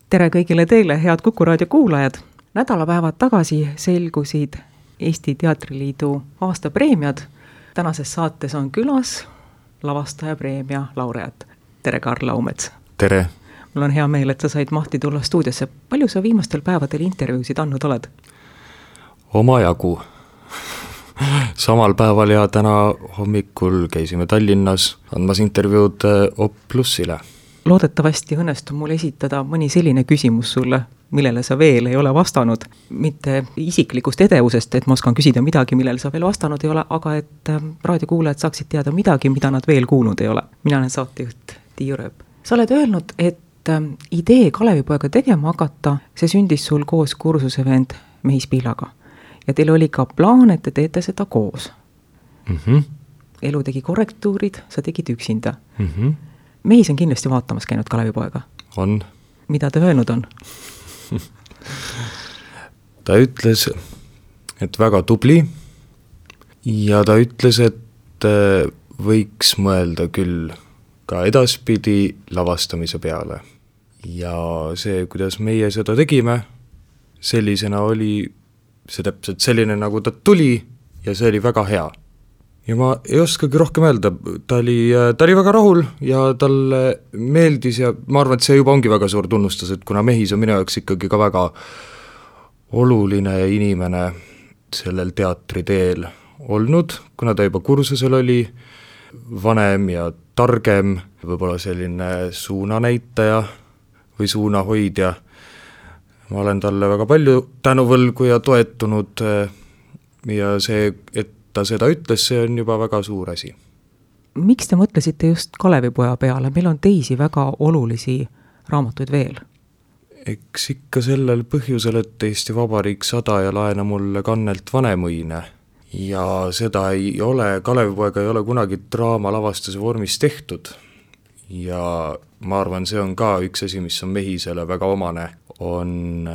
Tere kõigile teile, head Kuku raadio kuulajad! Nädalapäevad tagasi selgusid Eesti Teatriliidu aastapreemiad. Tänases saates on külas lavastajapreemia laureaat. Tere, Karl Laumets! Tere! Mul on hea meel, et sa said mahti tulla stuudiosse. Palju sa viimastel päevadel intervjuusid andnud oled? Omajagu. Samal päeval ja täna hommikul käisime Tallinnas andmas intervjuud Oplusile. Loodetavasti õnnestub mul esitada mõni selline küsimus sulle, millele sa veel ei ole vastanud. Mitte isiklikust edevusest, et ma oskan küsida midagi, millele sa veel vastanud ei ole, aga et raadiokuulajad saaksid teada midagi, mida nad veel kuulnud ei ole. Mina olen saatejuht Tiiu Rööp. Sa oled öelnud, et idee Kalevipoega tegema hakata, see sündis sul koos kursusevend Mehis Pihlaga. Ja teil oli ka plaan, et te teete seda koos. Elu tegi korrektuurid, sa tegid üksinda. Mehis on kindlasti vaatamas käinud Kalevipoega. On. Mida ta öelnud on? Ta ütles, et väga tubli ja ta ütles, et võiks mõelda küll ka edaspidi lavastamise peale. Ja see, kuidas meie seda tegime, sellisena oli see täpselt selline, nagu ta tuli ja see oli väga hea. Ja ma ei oskagi rohkem öelda, ta oli väga rahul ja talle meeldis ja ma arvan, et see juba ongi väga suur tunnustus, et kuna Mehis on minu jaoks ikkagi ka väga oluline inimene sellel teatriteel olnud, kuna ta juba kursusel oli vanem ja targem, võib-olla selline suunanäitaja või suunahoidja. Ma olen talle väga palju tänuvõlgu ja toetunud ja see, et ta seda ütles, see on juba väga suur asi. Miks te mõtlesite just Kalevipoja peale? Meil on teisi väga olulisi raamatuid veel. Eks ikka sellel põhjusel, et Eesti Vabariik 100 ja laena mulle kannelt Vanemuine. Ja seda ei ole, Kalevipoega ei ole kunagi draamalavastuse vormis tehtud. Ja ma arvan, see on ka üks asi, mis on Mehisele väga omane, on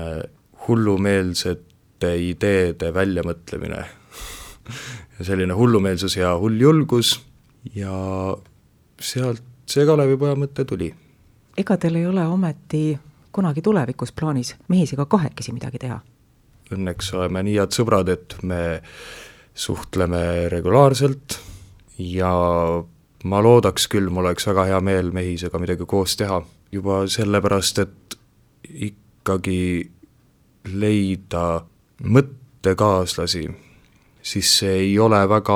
hullumeelsete ideede väljamõtlemine. Ja selline hullumeelsus ja hulljulgus ja sealt see Kalevipoja mõte tuli. Ega teil ei ole ometi kunagi tulevikus plaanis Mehisega kahekesi midagi teha? Õnneks oleme nii head sõbrad, et me suhtleme regulaarselt ja ma loodaks küll, mul oleks väga hea meel Mehisega midagi koos teha. Juba sellepärast, et ikkagi leida mõttekaaslasi, siis see ei ole väga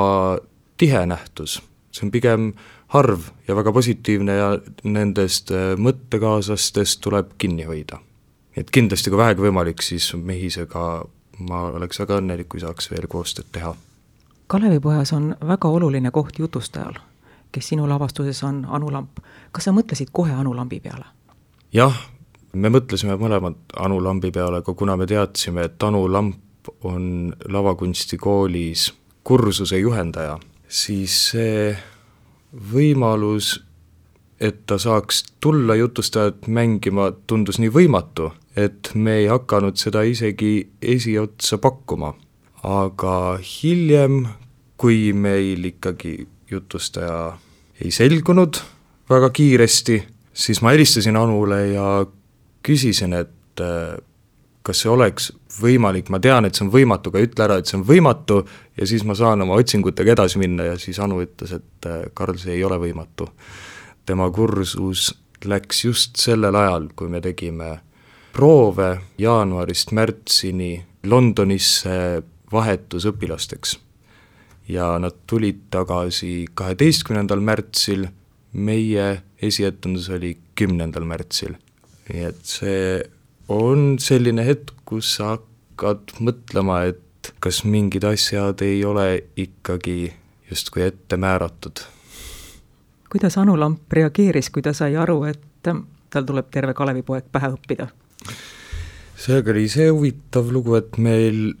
tihe nähtus. See on pigem harv ja väga positiivne ja nendest mõttekaaslastest tuleb kinni hoida. Et kindlasti kui vähegi võimalik, siis Mehisega ma oleks väga õnnelik, kui saaks veel koostööd teha. Kalevipojas on väga oluline koht jutustajal, kes sinu lavastuses on Anu Lamp. Kas sa mõtlesid kohe Anu Lambi peale? Jah, me mõtlesime mõlemad Anu Lambi peale, aga kuna me teadsime, et Anu Lamp on lavakunstikoolis kursuse juhendaja, siis see võimalus, et ta saaks tulla jutustajat mängima, tundus nii võimatu, et me ei hakanud seda isegi esiotsa pakkuma. Aga hiljem, kui meil ikkagi jutustaja ei selgunud väga kiiresti, siis ma helistasin Anule ja küsisin, et kas see oleks võimalik, ma tean, et see on võimatu, aga ütle ära, et see on võimatu ja siis ma saan oma otsingutega edasi minna ja siis Anu ütles, et Karl, see ei ole võimatu. Tema kursus läks just sellel ajal, kui me tegime proove jaanuarist märtsini Londonisse vahetusõpilasteks ja nad tulid tagasi 12. märtsil, meie esietendus oli 10. märtsil. Nii et see on selline hetk, kus sa hakkad mõtlema, et kas mingid asjad ei ole ikkagi justkui ette määratud. Kuidas Anu Lamp reageeris, kui ta sai aru, et tal tuleb terve Kalevipoeg pähe õppida? Seega oli see huvitav lugu, et meil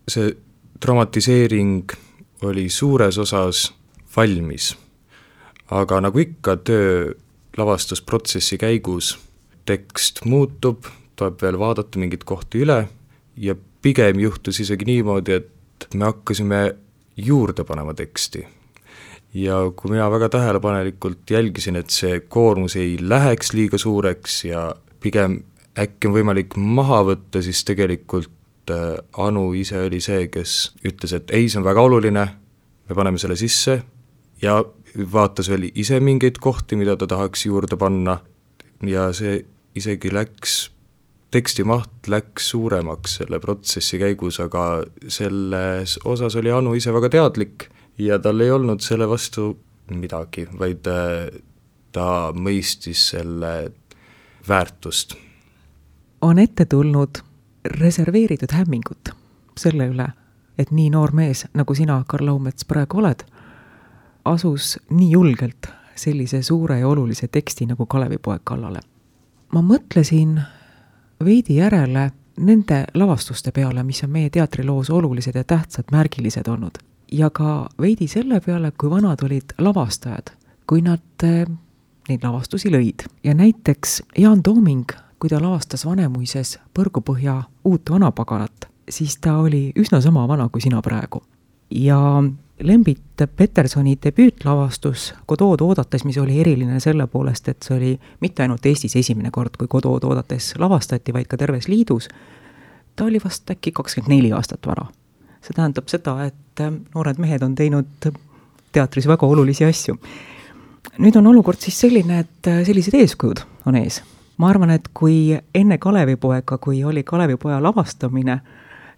see dramatiseering oli suures osas valmis. Aga nagu ikka töö lavastusprotsessi käigus tekst muutub, tuleb veel vaadata mingit kohti üle ja pigem juhtus isegi niimoodi, et me hakkasime juurde panema teksti. Ja kui mina väga tähelepanelikult jälgisin, et see koormus ei läheks liiga suureks ja pigem äkki on võimalik maha võtta, siis tegelikult Anu ise oli see, kes ütles, et ei, see on väga oluline, me paneme selle sisse ja vaatas veel ise mingeid kohti, mida ta tahaks juurde panna ja see isegi teksti maht läks suuremaks selle protsessi käigus, aga selles osas oli Anu ise väga teadlik ja tal ei olnud selle vastu midagi, vaid ta mõistis selle väärtust. On ette tulnud reserveeritud hämmingut selle üle, et nii noor mees, nagu sina, Karl Laumets, praegu oled, asus nii julgelt sellise suure ja olulise teksti nagu Kalevipoeg kallale. Ma mõtlesin veidi järele nende lavastuste peale, mis on meie teatriloos olulised ja tähtsad, märgilised olnud. Ja ka veidi selle peale, kui vanad olid lavastajad, kui nad neid lavastusi lõid. Ja näiteks Jaan Tooming, kui ta lavastas Vanemuises Põrgupõhja uut vanapaganat, siis ta oli üsna sama vana kui sina praegu. Ja Lembit Petersoni debüütlavastus Godot oodates, mis oli eriline selle poolest, et see oli mitte ainult Eestis esimene kord, kui Godot oodates lavastati, vaid ka terves liidus, ta oli vast äkki 24 aastat vana. See tähendab seda, et noored mehed on teinud teatris väga olulisi asju. Nüüd on olukord siis selline, et sellised eeskujud on ees. Ma arvan, et kui enne Kalevipoega, kui oli Kalevipoja lavastamine,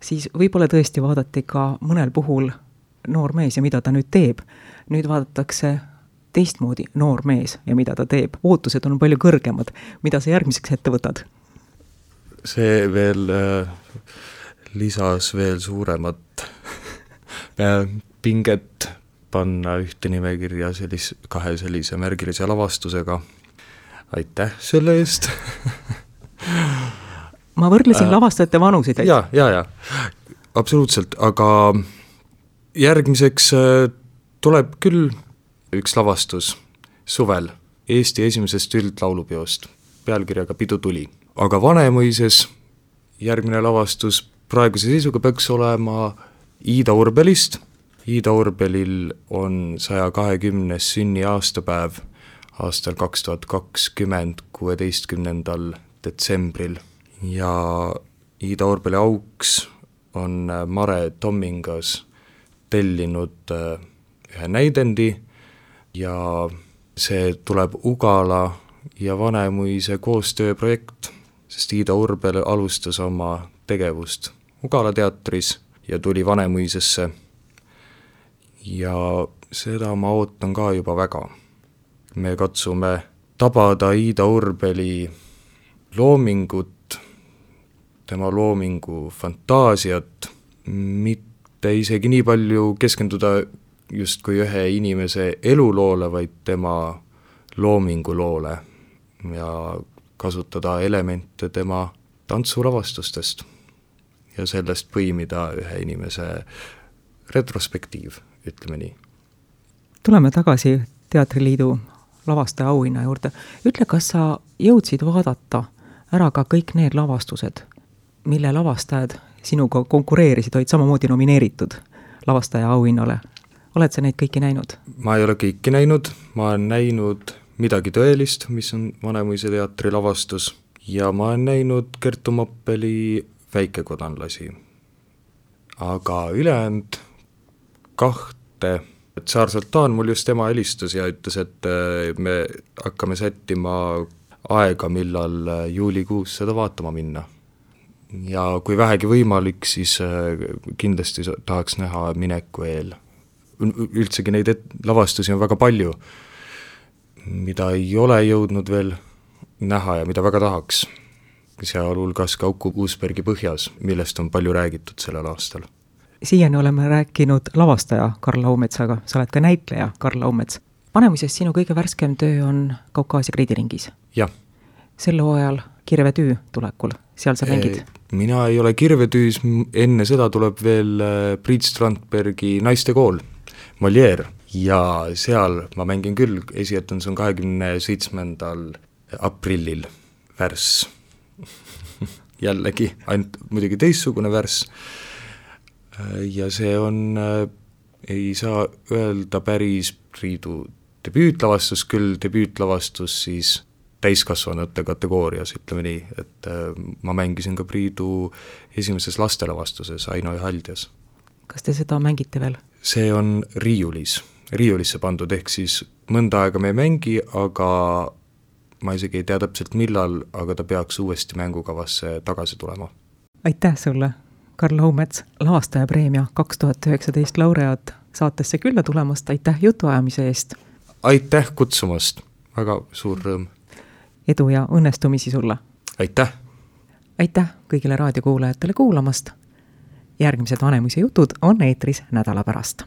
siis võib-olla tõesti vaadati ka mõnel puhul noor mees ja mida ta nüüd teeb. Nüüd vaadatakse teistmoodi noor mees ja mida ta teeb. Ootused on palju kõrgemad. Mida sa järgmiseks ette võtad? See veel lisas veel suuremat pinget panna ühte nimekirja kahe sellise märgilise lavastusega. Aitäh selle eest. Ma võrdlesin lavastajate vanusid. Ja, absoluutselt, aga järgmiseks tuleb küll üks lavastus suvel Eesti esimesest üldlaulupeost pealkirjaga Pidu tuli. Aga Vanemuises järgmine lavastus praeguse seisuga peaks olema Iida Urbelist. Iida Urbelil on 120. sünni aastapäev aastal 2020, 16. detsembril ja Iida Urbeli auks on Mare Tommingas tellinud ühe näidendi ja see tuleb Ugala ja Vanemuise koostööprojekt, sest Iida Urbel alustas oma tegevust Ugala teatris ja tuli Vanemuisesse ja seda ma ootan ka juba väga. Me katsume tabada Iida Urbeli loomingut, tema loomingu fantaasiat, mitte isegi nii palju keskenduda justkui ühe inimese eluloole, vaid tema loominguloole ja kasutada elemente tema tantsulavastustest ja sellest põimida ühe inimese retrospektiiv, ütleme nii. Tuleme tagasi Teatriliidu lavastaja auhinna juurde. Ütle, kas sa jõudsid vaadata ära ka kõik need lavastused, mille lavastajad sinuga konkureerisid, olid samamoodi nomineeritud lavastaja auhinnale? Oled sa neid kõiki näinud? Ma ei ole kõiki näinud, ma olen näinud Midagi tõelist, mis on Vanemuise teatri lavastus ja ma olen näinud Kertu Moppeli Väikekodanlasi. Aga ülejäänud kahte Tsaar Sultan mul just tema helistas ja ütles, et me hakkame sättima aega, millal juulikuus seda vaatama minna. Ja kui vähegi võimalik, siis kindlasti tahaks näha mineku eel. Üldsegi neid lavastusi on väga palju, mida ei ole jõudnud veel näha ja mida väga tahaks. Sealhulgas ka Uku Uusbergi Põhjas, millest on palju räägitud sellel aastal. Siiani oleme rääkinud lavastaja Karl Laumetsaga, sa oled ka näitleja Karl Laumets. Vanemuises sinu kõige värskem töö on Kaukaasia Kreidiringis. Jah. Sel hooajal Kirvetüü tulekul, seal sa mängid? Mina ei ole Kirvetüüs, enne seda tuleb veel Priit Strandbergi Naistekool, Molière, ja seal ma mängin küll, esietun, see on 27. aprillil värss. Jällegi, ainult muidugi teistsugune värss. Ja see on, ei saa öelda päris Priidu debüütlavastus, küll debüütlavastus siis täiskasvanute kategoorias, ütleme nii, et ma mängisin ka Priidu esimeses lastelavastuses Aino ja Haldjas. Kas te seda mängite veel? See on riiulisse pandud, ehk siis mõnda aega me ei mängi, aga ma isegi ei tea täpselt millal, aga ta peaks uuesti mängukavasse tagasi tulema. Aitäh sulle, Karl Laumets, lavastajapreemia 2019 laureaat saatesse külla tulemast, aitäh jutuajamise eest! Aitäh kutsumast, väga suur rõõm! Edu ja õnnestumisi sulle! Aitäh! Aitäh kõigile raadiokuulajatele kuulamast! Järgmised Vanemuise jutud on eetris nädala pärast.